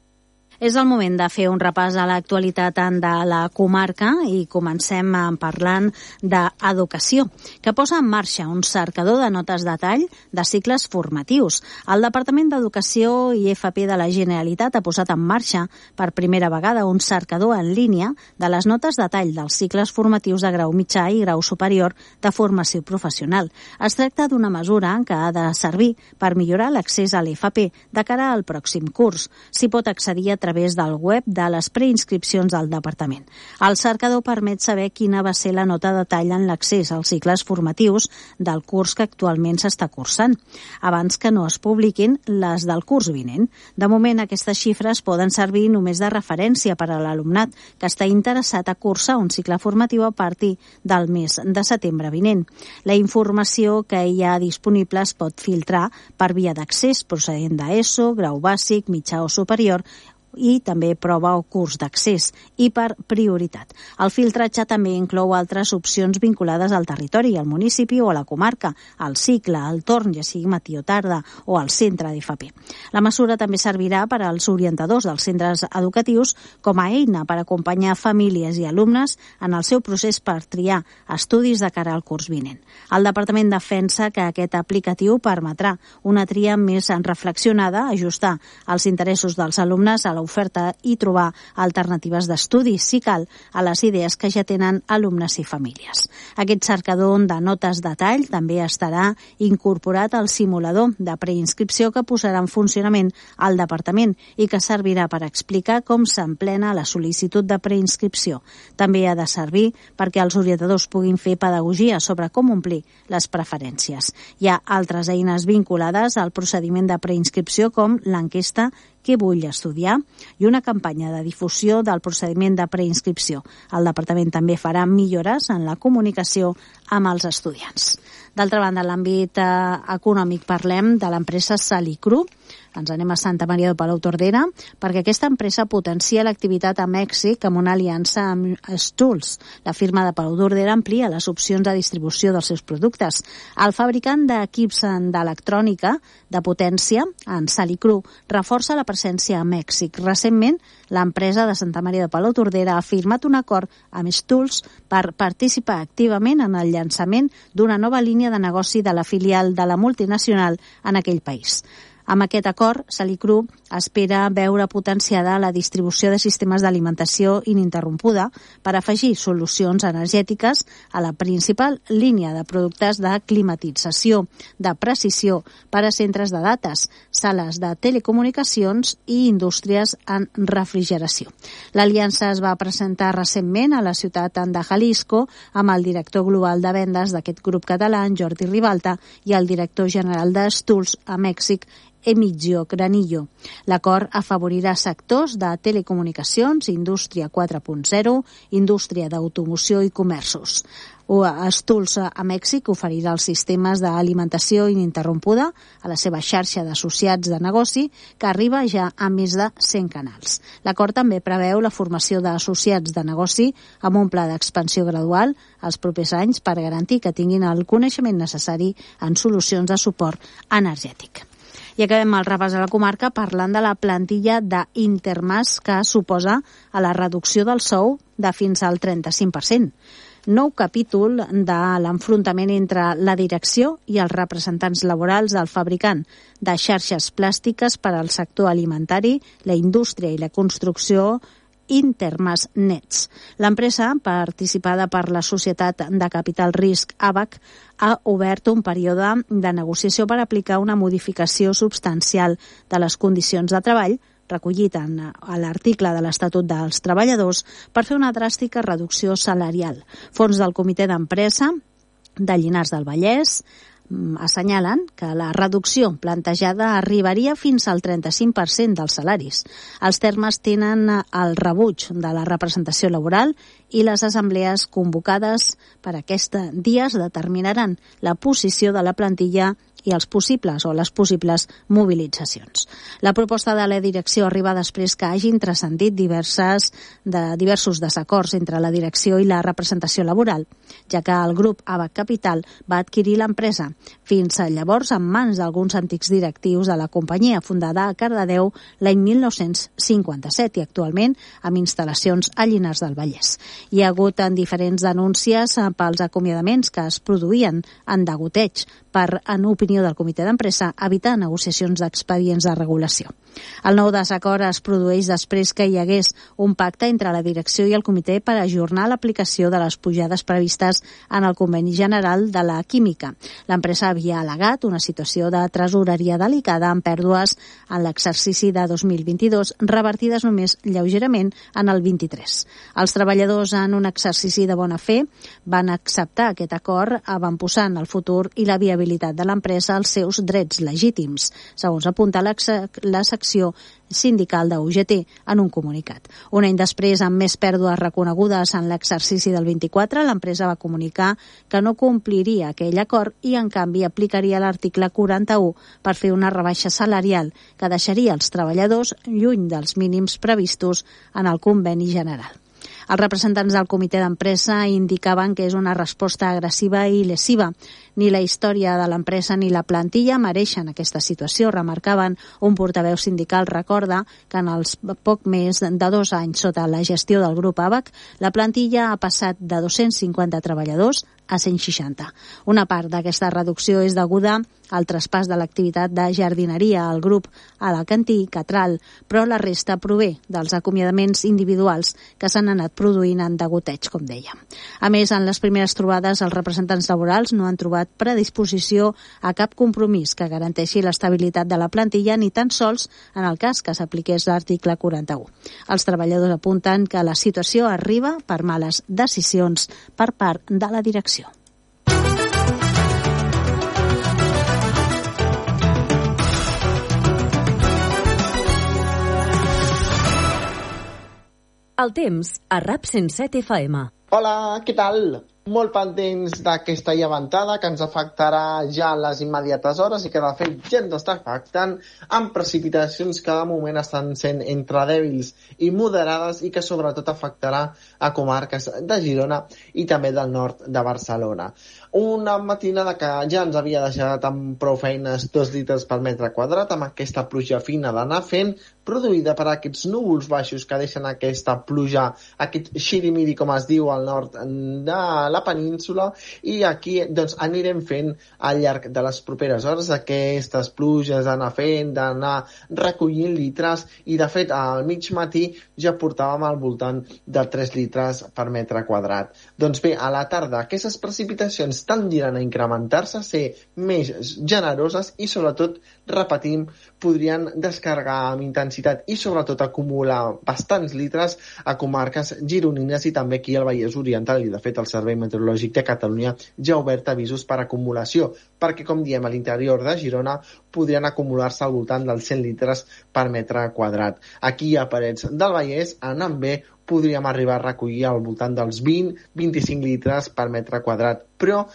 És el moment de fer un repàs a l'actualitat de la comarca i comencem parlant d'educació, que posa en marxa un cercador de notes de tall de cicles formatius. El Departament d'Educació i FP de la Generalitat ha posat en marxa per primera vegada un cercador en línia de les notes de tall dels cicles formatius de grau mitjà i grau superior de formació professional. Es tracta d'una mesura que ha de servir per millorar l'accés a l'FP de cara al pròxim curs. S'hi pot accedir a través del web de les preinscripcions del Departament. El cercador permet saber quina va ser la nota de tall en l'accés als cicles formatius del curs que actualment s'està cursant, abans que no es publiquin les del curs vinent. De moment, aquestes xifres poden servir només de referència per a l'alumnat que està interessat a cursar un cicle formatiu a partir del mes de setembre vinent. La informació que hi ha disponible es pot filtrar per via d'accés procedent d'ESO, grau bàsic, mitjà o superior, i també prova o curs d'accés, i per prioritat. El filtratge també inclou altres opcions vinculades al territori, al municipi o a la comarca, al cicle, al torn, ja sigui matí o tarda, o al centre d'FP. La mesura també servirà per als orientadors dels centres educatius com a eina per acompanyar famílies i alumnes en el seu procés per triar estudis de cara al curs vinent. El Departament defensa que aquest aplicatiu permetrà una tria més reflexionada, ajustar els interessos dels alumnes a l'oferta i trobar alternatives d'estudi, si cal, a les idees que ja tenen alumnes i famílies. Aquest cercador de notes de tall també estarà incorporat al simulador de preinscripció que posarà en funcionament el Departament i que servirà per explicar com s'emplena la sol·licitud de preinscripció. També ha de servir perquè els orientadors puguin fer pedagogia sobre com omplir les preferències. Hi ha altres eines vinculades al procediment de preinscripció com l'enquesta Què vull estudiar? I una campanya de difusió del procediment de preinscripció. El Departament també farà millores en la comunicació amb els estudiants. D'altra banda, en l'àmbit econòmic parlem de l'empresa Salicru. Ens anem a Santa Maria de Palautordera perquè aquesta empresa potencia l'activitat a Mèxic amb una aliança amb Stulls. La firma de Palautordera amplia les opcions de distribució dels seus productes. El fabricant d'equips d'electrònica de potència, en Salicru, reforça la presència a Mèxic. Recentment, l'empresa de Santa Maria de Palautordera ha firmat un acord amb Stulls per participar activament en el llançament d'una nova línia de negoci de la filial de la multinacional en aquell país. Amb aquest acord, Salicru espera veure potenciada la distribució de sistemes d'alimentació ininterrompuda per afegir solucions energètiques a la principal línia de productes de climatització, de precisió per a centres de dates, sales de telecomunicacions i indústries en refrigeració. L'aliança es va presentar recentment a la ciutat de Jalisco amb el director global de vendes d'aquest grup català, Jordi Ribalta, i el director general de Stulls a Mèxic, Emilio Granillo. L'acord afavorirà sectors de telecomunicacions, indústria 4.0, indústria d'automoció i comerços. Stulls a Mèxic oferirà els sistemes d'alimentació ininterrompuda a la seva xarxa d'associats de negoci, que arriba ja a més de 100 canals. L'acord també preveu la formació d'associats de negoci amb un pla d'expansió gradual els propers anys per garantir que tinguin el coneixement necessari en solucions de suport energètic. I acabem el repàs a la comarca parlant de la plantilla d'Intermas que suposa a la reducció del sou de fins al 35%. Nou capítol de l'enfrontament entre la direcció i els representants laborals del fabricant de xarxes plàstiques per al sector alimentari, la indústria i la construcció Intermas Nets. L'empresa, participada per la societat de capital risc ABAC, ha obert un període de negociació per aplicar una modificació substancial de les condicions de treball recollit a l'article de l'Estatut dels Treballadors per fer una dràstica reducció salarial. Fons del Comitè d'Empresa de Llinars del Vallès assenyalen que la reducció plantejada arribaria fins al 35% dels salaris. Els termes tenen el rebuig de la representació laboral i les assemblees convocades per aquests dies determinaran la posició de la plantilla i els possibles o les possibles mobilitzacions. La proposta de la direcció arriba després que hagin transcendit diversos desacords entre la direcció i la representació laboral, ja que el grup ABAC Capital va adquirir l'empresa fins llavors en mans d'alguns antics directius de la companyia fundada a Cardedeu l'any 1957 i actualment amb instal·lacions a Llinars del Vallès. Hi ha hagut diferents denúncies pels acomiadaments que es produïen en degoteig en opinió reunió del comitè d'empresa, evitar negociacions d'expedients de regulació. El nou desacord es produeix després que hi hagués un pacte entre la direcció i el comitè per ajornar l'aplicació de les pujades previstes en el conveni general de la química. L'empresa havia al·legat una situació de tresoreria delicada amb pèrdues en l'exercici de 2022, revertides només lleugerament en el 23. Els treballadors, en un exercici de bona fe, van acceptar aquest acord avantposant el futur i la viabilitat de l'empresa als seus drets legítims, segons apunta la secció sindical de UGT en un comunicat. Un any després, amb més pèrdues reconegudes en l'exercici del 24, l'empresa va comunicar que no compliria aquell acord i, en canvi, aplicaria l'article 41 per fer una rebaixa salarial que deixaria els treballadors lluny dels mínims previstos en el conveni general. Els representants del comitè d'empresa indicaven que és una resposta agressiva i lesiva. Ni la història de l'empresa ni la plantilla mereixen aquesta situació, remarcaven. Un portaveu sindical recorda que en els poc més de 2 anys sota la gestió del grup ABAC, la plantilla ha passat de 250 treballadors a 160. Una part d'aquesta reducció és deguda al traspàs de l'activitat de jardineria al grup Alacantí i Catral, però la resta prové dels acomiadaments individuals que s'han anat produint en degoteig, com deia. A més, en les primeres trobades, els representants laborals no han trobat predisposició a cap compromís que garanteixi l'estabilitat de la plantilla, ni tan sols en el cas que s'apliqués l'article 41. Els treballadors apunten que la situació arriba per males decisions per part de la direcció. El temps a RAP 107 FM. Hola, què tal? Molt pendents d'aquesta llevantada que ens afectarà ja a les immediates hores i que de fet ja ens està afectant amb precipitacions que de moment estan sent entre dèbils i moderades i que sobretot afectarà a comarques de Girona i també del nord de Barcelona. Una matinada que ja ens havia deixat amb prou feines 2 litres per metre quadrat amb aquesta pluja fina d'anar fent, produïda per aquests núvols baixos que deixen aquesta pluja, aquest xirimiri com es diu al nord de la península, i aquí doncs anirem fent al llarg de les properes hores aquestes pluges d'anar fent, d'anar recollint litres, i de fet al mig matí ja portàvem al voltant de 3 litres per metre quadrat. Doncs bé, a la tarda aquestes precipitacions tendiran a incrementar-se, a ser més generoses i sobretot, repetim, podrien descarregar amb intensitat i sobretot acumular bastants litres a comarques gironines i també aquí al Vallès Oriental, i de fet el Servei Meteorològic de Catalunya ja ha obert avisos per acumulació, perquè com diem a l'interior de Girona podrien acumular-se al voltant dels 100 litres per metre quadrat. Aquí a Parets del Vallès, anant bé, podríem arribar a recollir al voltant dels 20-25 litres per metre quadrat, però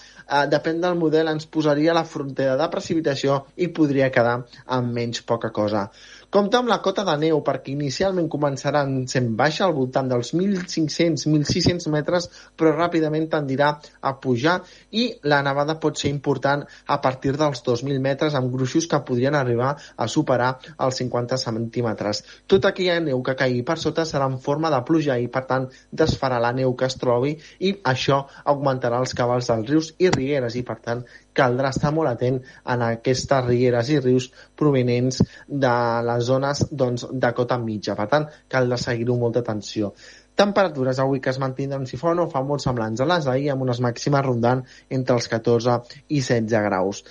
depèn del model, ens posaria la frontera de precipitació i podria quedar amb menys poca cosa. Compte amb la cota de neu, perquè inicialment començarà sent baixa al voltant dels 1.500-1.600 metres, però ràpidament tendirà a pujar i la nevada pot ser important a partir dels 2.000 metres, amb gruixos que podrien arribar a superar els 50 centímetres. Tota aquella neu que caigui per sota serà en forma de pluja i, per tant, desfarà la neu que es trobi i això augmentarà els cabals dels rius i rieres i, per tant, caldrà estar molt atent en aquestes rieres i rius provenents de les zones de cota mitja. Per tant, caldrà seguir-ho amb molta atenció. Temperatures avui que es mantindran, si fa o no fa, molt semblants a les d'ahir, amb unes màximes rondant entre els 14 i 16 graus.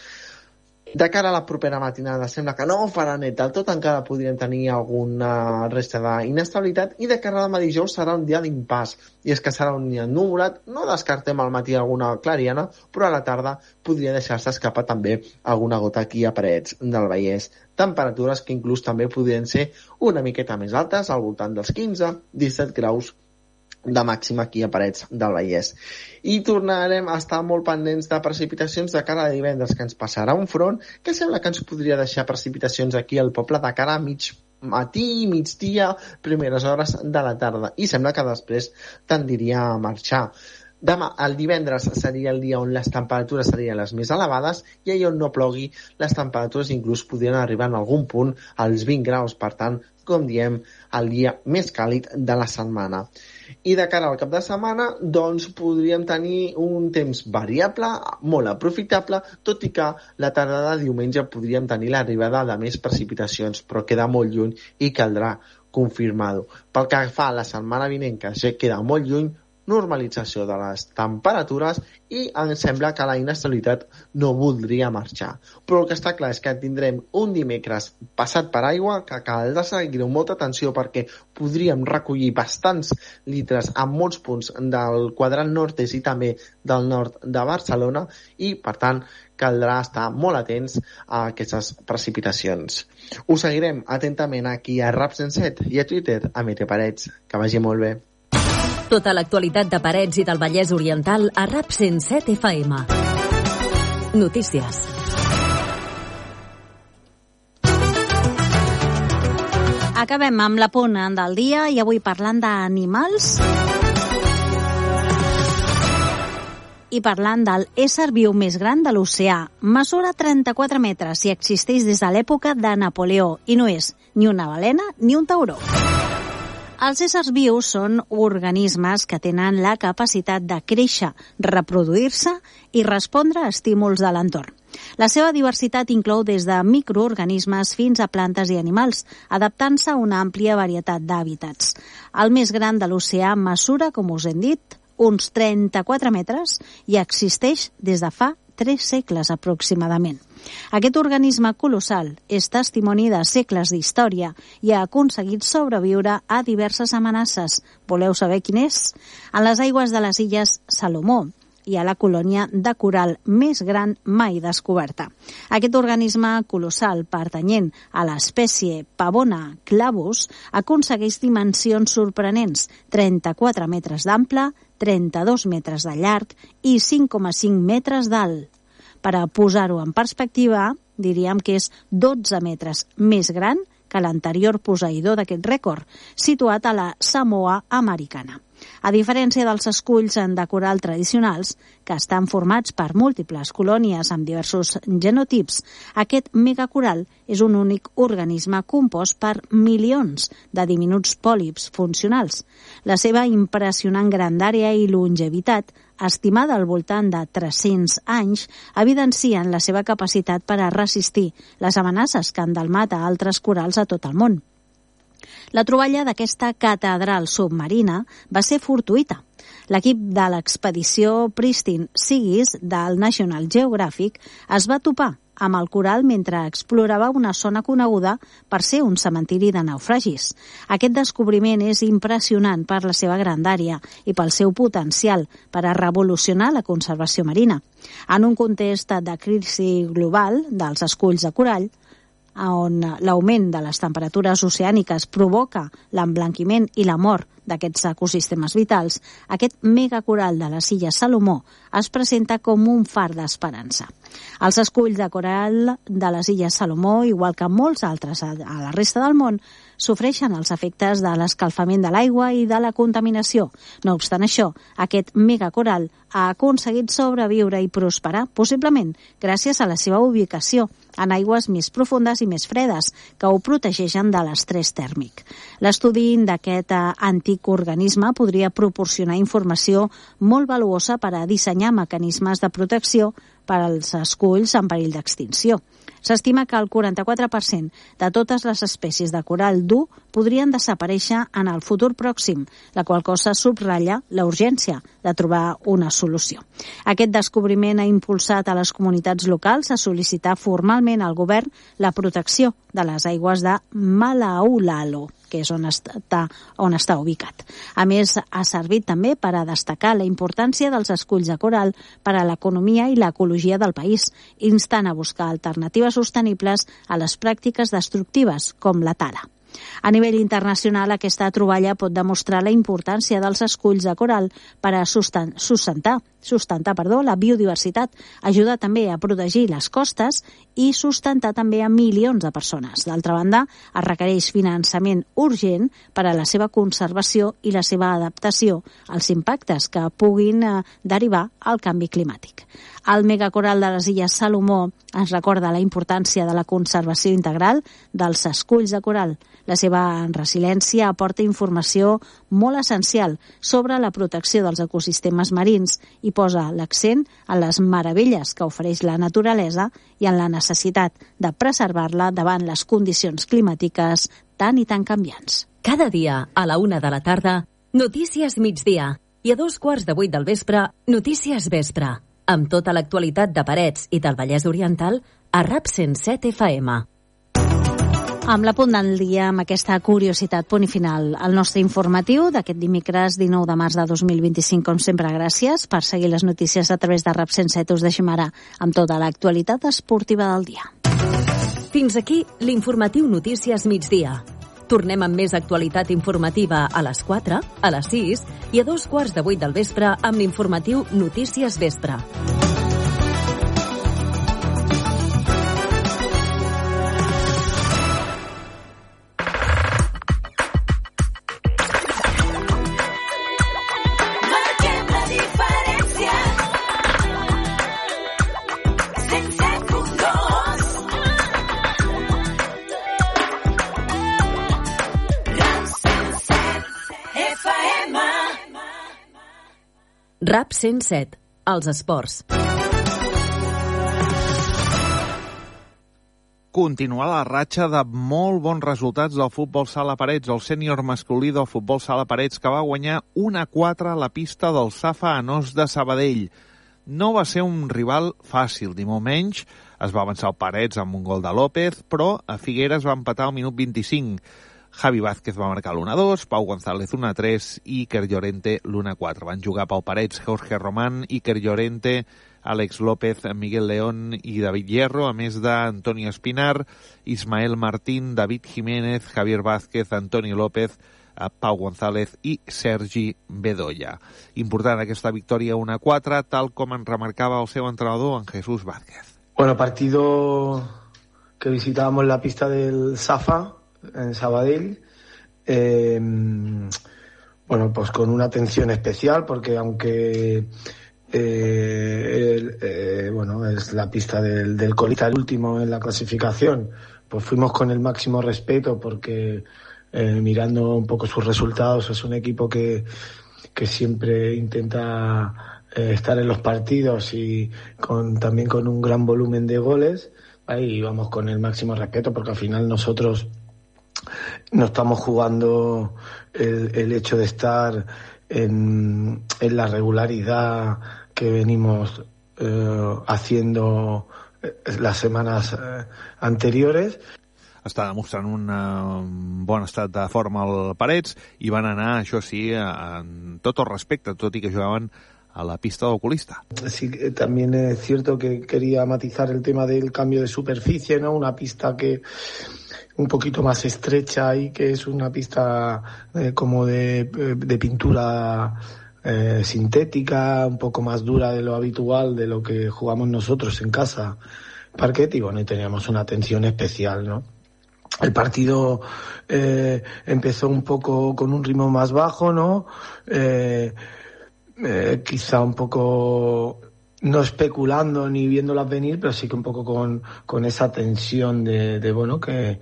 De cara a la propera matinada sembla que no farà net del tot, encara podríem tenir alguna resta d'inestabilitat, i de cara a demà dijous serà un dia d'impàs, i és que serà un dia ennuvolat, no descartem al matí alguna clariana, però a la tarda podria deixar-se escapar també alguna gota aquí a Parets del Vallès. Temperatures que inclús també podrien ser una miqueta més altes, al voltant dels 15-17 graus de màxima aquí a Parets del Vallès. I tornarem a estar molt pendents de precipitacions de cara a divendres, que ens passarà un front que sembla que ens podria deixar precipitacions aquí al poble de cara a mig matí, migdia, primeres hores de la tarda, i sembla que després tendiria a marxar. El divendres seria el dia on les temperatures serien les més elevades i allà on no plogui les temperatures inclús podrien arribar en algun punt als 20 graus. Per tant, com diem, el dia més càlid de la setmana. I de cara al cap de setmana, doncs podríem tenir un temps variable, molt aprofitable, tot i que la tarda de diumenge podríem tenir l'arribada de més precipitacions, però queda molt lluny i caldrà confirmar-ho. Pel que fa a la setmana vinent, que ja queda molt lluny, normalització de les temperatures i em sembla que la inestabilitat no voldria marxar. Però el que està clar és que tindrem un dimecres passat per aigua que caldrà seguir amb molta atenció perquè podríem recollir bastants litres en molts punts del quadrant nord-est i també del nord de Barcelona i, per tant, caldrà estar molt atents a aquestes precipitacions. Us seguirem atentament aquí a Rap 107 i a Twitter a Mete Parets. Que vagi molt bé. Tota l'actualitat de Parets i del Vallès Oriental a Rap 107 FM. Notícies. Acabem amb la pona del dia i avui parlant d'animals i parlant del ésser viu més gran de l'oceà. Mesura 34 metres i existeix des de l'època de Napoleó i no és ni una balena ni un tauró. Els éssers vius són organismes que tenen la capacitat de créixer, reproduir-se i respondre a estímuls de l'entorn. La seva diversitat inclou des de microorganismes fins a plantes i animals, adaptant-se a una àmplia varietat d'hàbitats. El més gran de l'oceà mesura, com us hem dit, uns 34 metres i existeix des de fa 3 segles aproximadament. Aquest organisme colossal és testimoni de segles d'història i ha aconseguit sobreviure a diverses amenaces. Voleu saber quin és? En les aigües de les illes Salomó hi ha la colònia de coral més gran mai descoberta. Aquest organisme colossal pertanyent a l'espècie Pavona clavus aconsegueix dimensions sorprenents, 34 metres d'ample, 32 metres de llarg i 5,5 metres d'alt. Per a posar-ho en perspectiva, diríem que és 12 metres més gran que l'anterior posseïdor d'aquest rècord, situat a la Samoa americana. A diferència dels esculls de coral tradicionals, que estan formats per múltiples colònies amb diversos genotips, aquest megacoral és un únic organisme compost per milions de diminuts pòlips funcionals. La seva impressionant grandària i longevitat, estimada al voltant de 300 anys, evidencien la seva capacitat per a resistir les amenaces que han delmat a altres corals a tot el món. La troballa d'aquesta catedral submarina va ser fortuïta. L'equip de l'expedició Pristine Seas del National Geographic es va topar amb el coral mentre explorava una zona coneguda per ser un cementiri de naufragis. Aquest descobriment és impressionant per la seva grandària i pel seu potencial per a revolucionar la conservació marina. En un context de crisi global dels esculls de corall, on l'augment de les temperatures oceàniques provoca l'emblanquiment i la mort d'aquests ecosistemes vitals, aquest megacoral de les illes Salomó es presenta com un far d'esperança. Els esculls de coral de les illes Salomó, igual que molts altres a la resta del món, sofreixen els efectes de l'escalfament de l'aigua i de la contaminació. No obstant això, aquest megacoral ha aconseguit sobreviure i prosperar, possiblement gràcies a la seva ubicació en aigües més profundes i més fredes, que ho protegeixen de l'estrès tèrmic. L'estudi d'aquest antic organisme podria proporcionar informació molt valuosa per a dissenyar mecanismes de protecció per als esculls en perill d'extinció. S'estima que el 44% de totes les espècies de coral dur podrien desaparèixer en el futur pròxim, la qual cosa subratlla la urgència de trobar una solució. Aquest descobriment ha impulsat a les comunitats locals a sol·licitar formalment al govern la protecció de les aigües de Malaulalo, que és on està ubicat. A més, ha servit també per a destacar la importància dels esculls de coral per a l'economia i l'ecologia del país, instant a buscar alternatives sostenibles a les pràctiques destructives, com la tala. A nivell internacional, aquesta troballa pot demostrar la importància dels esculls de coral per a sustentar la biodiversitat, ajudar també a protegir les costes i sustentar també a milions de persones. D'altra banda, es requereix finançament urgent per a la seva conservació i la seva adaptació als impactes que puguin derivar al canvi climàtic. El megacoral de les Illes Salomó ens recorda la importància de la conservació integral dels esculls de coral. La seva resiliència aporta informació molt essencial sobre la protecció dels ecosistemes marins i posa l'accent en les meravelles que ofereix la naturalesa i en la necessitat de preservar-la davant les condicions climàtiques tan i tan canviants. Cada dia, a la 1 de la tarda, Notícies Migdia. I a 2:15 del vespre, Notícies Vespre. Amb tota l'actualitat de Parets i del Vallès Oriental a RAP 107 FM. Amb la punt del dia, amb aquesta curiositat, punt i final, el nostre informatiu d'aquest dimecres 19 de març de 2025. Com sempre, gràcies per seguir les notícies a través de RAP 107. Us deixem ara amb tota l'actualitat esportiva del dia. Fins aquí l'informatiu Notícies Migdia. Tornem amb més actualitat informativa a les 4, a les 6 i a 2:15 del vespre amb l'informatiu Notícies Vespre. RAP 107, els esports. Continua la ratxa de molt bons resultats del futbol sala Parets, el sènior masculí del futbol sala Parets, que va guanyar 1-4 a la pista del Safa Anós de Sabadell. No va ser un rival fàcil, ni molt menys. Es va avançar el Parets amb un gol de López, però a Figueres va empatar al minut 25. Javi Vázquez va marcar l'1-2, Pau González 1-3 i Iker Llorente l'1-4. Van jugar Pau Parets, Jorge Román, Iker Llorente, Àlex López, Miguel León i David Hierro, a més d'Antonio Espinar, Ismael Martín, David Jiménez, Javier Vázquez, Antoni López, Pau González i Sergi Bedoya. Important aquesta victòria 1-4, tal com en remarcava el seu entrenador, en Jesús Vázquez. Bueno, partido que visitábamos la pista del Safa, en Sabadell, bueno, pues con una atención especial, porque aunque bueno, es la pista del colista, el último en la clasificación, pues fuimos con el máximo respeto, porque mirando un poco sus resultados, es un equipo que siempre intenta estar en los partidos y también con un gran volumen de goles. Ahí vamos con el máximo respeto, porque al final nosotros no estamos jugando el hecho de estar en la regularidad que venimos haciendo las semanas anteriores. Està demostrant un bon estat de forma al Parets i van anar, això sí, en tot el respecte, tot i que jugaven a la pista de oculista. Sí, también es cierto que quería matizar el tema del cambio de superficie, ¿no? Una pista que un poquito más estrecha y que es una pista como de pintura sintética, un poco más dura de lo habitual, de lo que jugamos nosotros en casa, parquet, y bueno, y teníamos una atención especial, ¿no? El partido empezó un poco con un ritmo más bajo, ¿no? Quizá un poco no especulando ni viéndolas venir, pero sí que un poco con esa tensión de bueno, que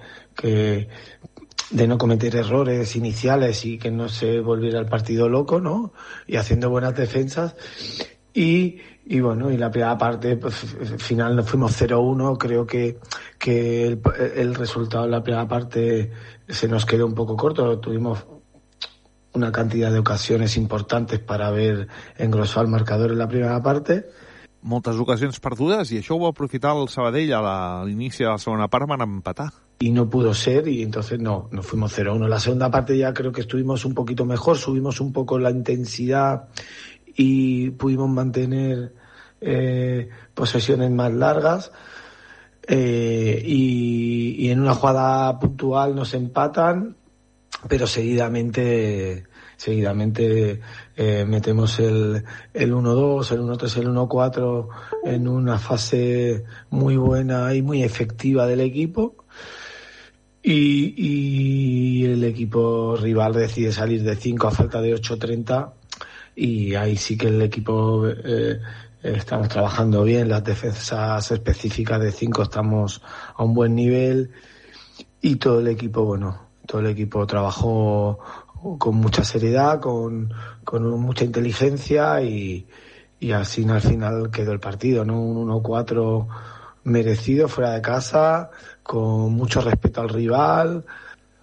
de no cometer errores iniciales y que no se volviera el partido loco, ¿no? Y haciendo buenas defensas. Y bueno, y la primera parte, pues, final nos fuimos 0-1. Creo que el resultado de la primera parte se nos quedó un poco corto. Tuvimos una cantidad de ocasiones importantes para haber engrosado el marcador en la primera parte. Moltes ocasions perdudes, i això ho va aprofitar el Sabadell a l'inici de la segona part, van empatar. Y no pudo ser, y entonces no fuimos 0-1. La segunda parte ya creo que estuvimos un poquito mejor, subimos un poco la intensidad y pudimos mantener posesiones más largas, y en una jugada puntual nos empatan, pero seguidamente seguidamente metemos el 1-2, el 1-3, el 1-4 en una fase muy buena y muy efectiva del equipo. Y el equipo rival decide salir de 5 a falta de 8:30, y ahí sí que el equipo estamos trabajando bien. Las defensas específicas de 5 estamos a un buen nivel, y todo el equipo trabajó con mucha seriedad, con mucha inteligencia, y así al final quedó el partido, ¿no? Un 1-4 merecido fuera de casa, con mucho respeto al rival.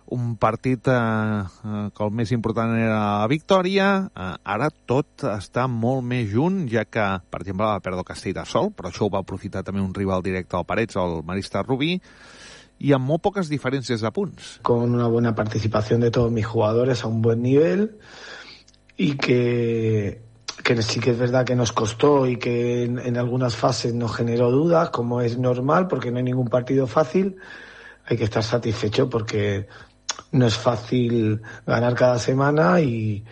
Un partit que el més important era la victòria. Ara tot està molt més junt, ja que, per exemple, va perdre Castellterçol, però això ho va aprofitar també un rival directe al Parets, el Marista Rubí, y amb molt poques diferències de punts. Con una buena participación de todos mis jugadores a un buen nivel, y que sí que es verdad que nos costó y que en algunas fases nos generó dudas, como es normal, porque no hay ningún partido fácil. Hay que estar satisfecho porque no es fácil ganar cada semana y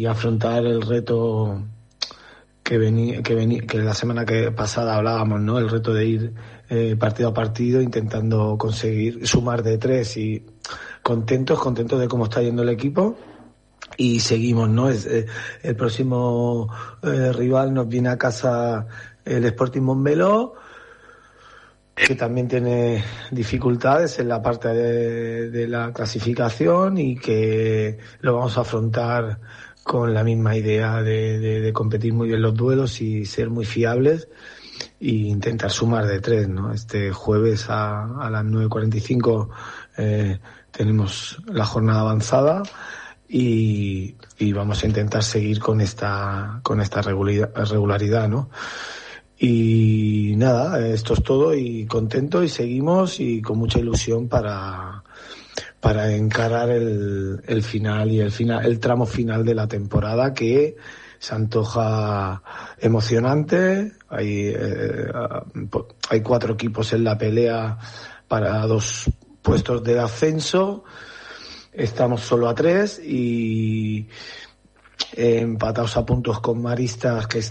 afrontar el reto que la semana pasada hablábamos, ¿no? El reto de ir partido a partido intentando conseguir sumar de 3, y contentos de cómo está yendo el equipo, y seguimos, ¿no? El próximo rival nos viene a casa el Sporting Montmeló, que también tiene dificultades en la parte de la clasificación, y que lo vamos a afrontar con la misma idea de competir muy bien los duelos y ser muy fiables, e intentar sumar de 3, ¿no? Este jueves a las 9:45 tenemos la jornada avanzada, y vamos a intentar seguir con esta regularidad, ¿no? Y nada, esto es todo, y contento, y seguimos, y con mucha ilusión para encarar el final y el tramo final de la temporada, que se antoja emocionante. Hay 4 equipos en la pelea para 2 puestos de ascenso. Estamos solo a 3 y empatados a puntos con Maristas, que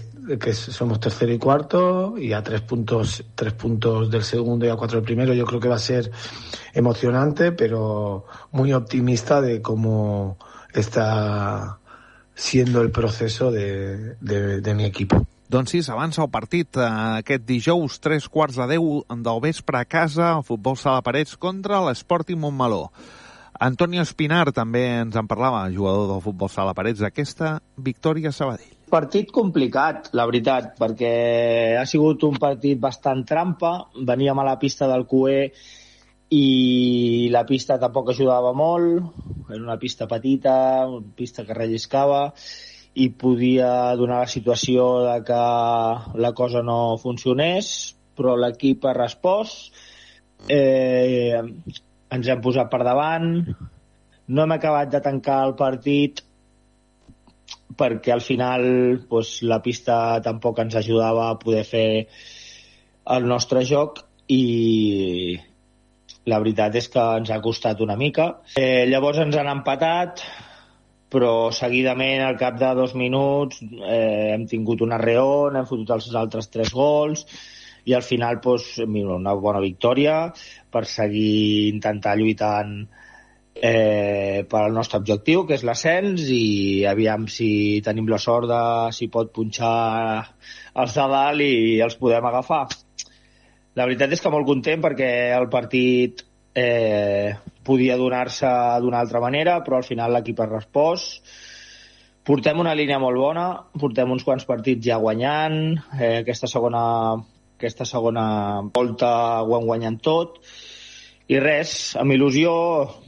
somos tercero y cuarto, y a 3 puntos del segundo y a 4 del primero. Yo creo que va a ser emocionante, pero muy optimista de cómo está siendo el proceso de mi equipo. Doncs sí, s'avança el partit aquest dijous, 9:45 del vespre a casa, el Futbol Sala Parets contra l'Sporting Montmeló. Antonio Espinar també ens en parlava, jugador del Futbol Sala Parets, d'aquesta victòria a Sabadell. Partit complicat, la veritat, perquè ha sigut un partit bastant trampa. Veníem a la pista del CUE i la pista tampoc ajudava molt. Era una pista petita, una pista que relliscava, i podia donar la situació de que la cosa no funcionés, però l'equip ha respost. Ens hem posat per davant, no hem acabat de tancar el partit perquè al final la pista tampoc ens ajudava a poder fer el nostre joc, i la veritat és que ens ha costat una mica. Llavors ens han empatat, però seguidament al cap de 2 minuts hem tingut una reon, hem fotut els altres 3 gols, i al final una bona victòria per seguir intentar lluitant per al nostre objectiu, que és l'ascens, i aviam si tenim la sort de si pot punxar els de dalt i els podem agafar. La veritat és que molt content, perquè el partit podia donar-se d'una altra manera, però al final l'equip ha respost. Portem una línia molt bona, portem uns quants partits ja guanyant, aquesta segona volta ho hem guanyat tot, i res, amb il·lusió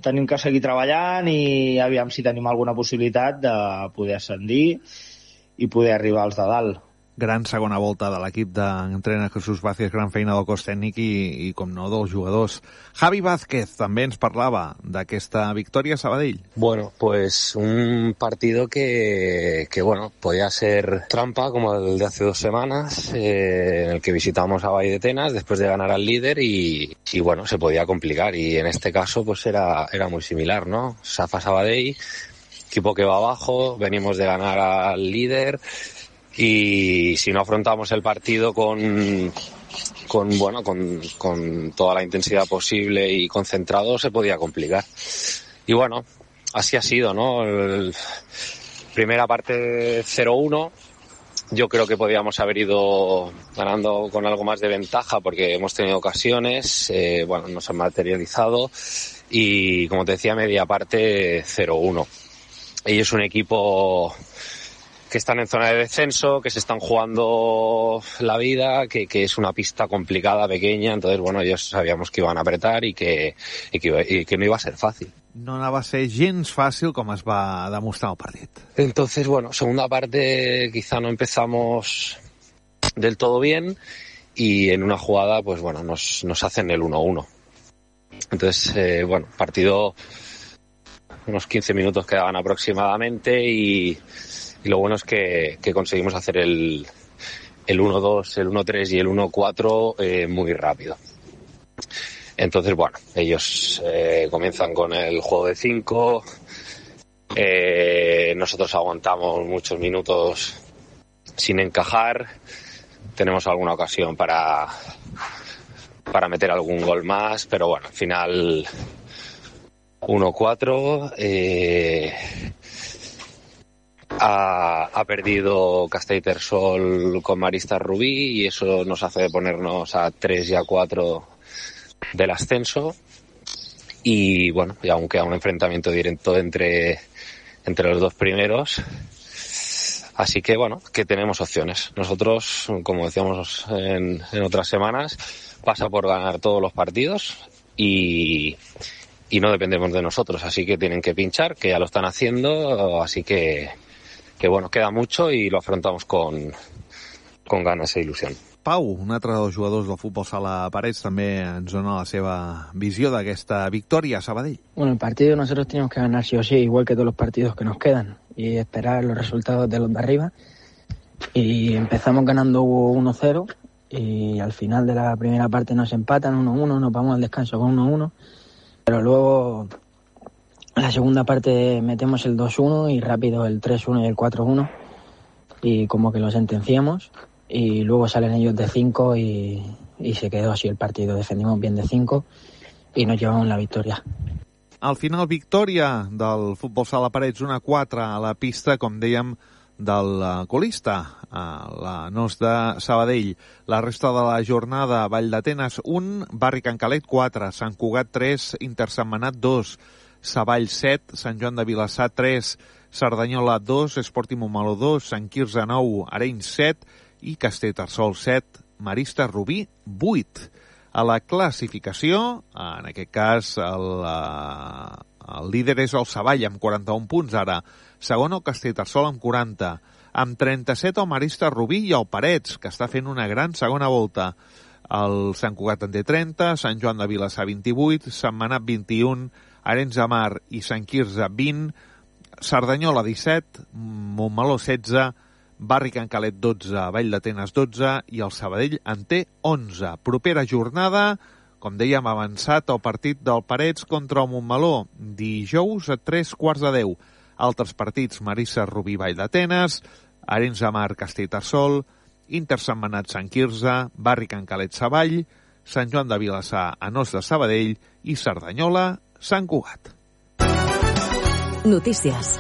tenim que seguir treballant, i aviam si tenim alguna possibilitat de poder ascendir i poder arribar als de dalt. Gran segona volta de l'equip d'entrenador Jesús Vázquez, gran feina del cos tècnic i com no, dels jugadors. Javi Vázquez també ens parlava d'aquesta victòria a Sabadell. Bueno, pues un partido que podía ser trampa, como el de hace 2 semanas, en el que visitamos a Valletenas después de ganar al líder, y bueno, se podía complicar, y en este caso pues era muy similar, ¿no? Safa Sabadell, equipo que va abajo, venimos de ganar al líder y si no afrontamos el partido con toda la intensidad posible y concentrado, se podía complicar. Y bueno, así ha sido, ¿no? Primera parte 0-1. Yo creo que podíamos haber ido ganando con algo más de ventaja porque hemos tenido ocasiones, nos han materializado y, como te decía, media parte 0-1. Ellos es un equipo que están en zona de descenso, que se están jugando la vida, que es una pista complicada, pequeña, entonces, ellos sabíamos que iban a apretar y que no iba a ser fácil. No anava a ser gens fàcil com es va demostrar el partit. Entonces, segunda parte quizá no empezamos del todo bien y en una jugada, nos hacen el 1-1. Entonces, partido, unos 15 minutos quedaban aproximadamente y lo bueno es que conseguimos hacer el 1-2, el 1-3 y el 1-4 muy rápido. Entonces, ellos comienzan con el juego de 5, nosotros aguantamos muchos minutos sin encajar, tenemos alguna ocasión para meter algún gol más, pero al final 1-4, ha perdido Castellterçol con Maristas Rubí y eso nos hace ponernos a 3 y a 4 del ascenso y aún queda un enfrentamiento directo entre los dos primeros, así que que tenemos opciones. Nosotros, como decíamos en otras semanas, pasa por ganar todos los partidos y no dependemos de nosotros, así que tienen que pinchar, que ya lo están haciendo, así que queda mucho i lo afrontamos con ganes e il·lusió. Pau, un altre dels jugadors del futbol sala Parets, també ens dona la seva visió d'aquesta victòria a Sabadell. Bueno, el partido nosotros tenemos que ganar sí o sí, igual que todos los partidos que nos quedan, y esperar los resultados de los de arriba. Y empezamos ganando 1-0 y al final de la primera parte nos empatan 1-1, nos vamos al descanso con 1-1, pero luego en la segunda parte metemos el 2-1 y rápido el 3-1 y el 4-1 y como que lo sentenciamos y luego salen ellos de 5 y se quedó así el partido. Defendimos bien de 5 i nos llevamos la victòria. Al final, victòria del futbol sala Parets 1-4 a la pista, com dèiem, del colista, a la NOS de Sabadell. La resta de la jornada: Vall d'Atenes 1, Barri Can Calet 4, Sant Cugat 3, Intersentmenat 2, Savall 7, Sant Joan de Vilassar 3, Cerdanyola 2, Esportiu Montmeló 2, Sant Quirze 9, Arenys 7 i Castellterçol 7, Maristes Rubí 8. A la classificació, en aquest cas, el líder és el Savall amb 41 punts ara. Segon el Castellterçol amb 40. Amb 37 el Maristes Rubí i el Parets, que està fent una gran segona volta. El Sant Cugat en té 30, Sant Joan de Vilassar 28, Sentmenat 21, Arenys de Mar i Sant Quirze 20, Cerdanyola 17, Montmeló 16, Barri Can Calet 12, Vall d'Atenes 12 i el Sabadell en té 11. Propera jornada, com dèiem, avançat el partit del Parets contra el Montmeló, dijous a 3:15. Altres partits: Maristes Rubí, Vall d'Atenes, Arenys de Mar, Castellterçol, Intersentmenat, Sant Quirze, Barri Can Calet, Savall, Sant Joan de Vilassar, NOS de Sabadell i Cerdanyola, Sant Cugat. Notícies.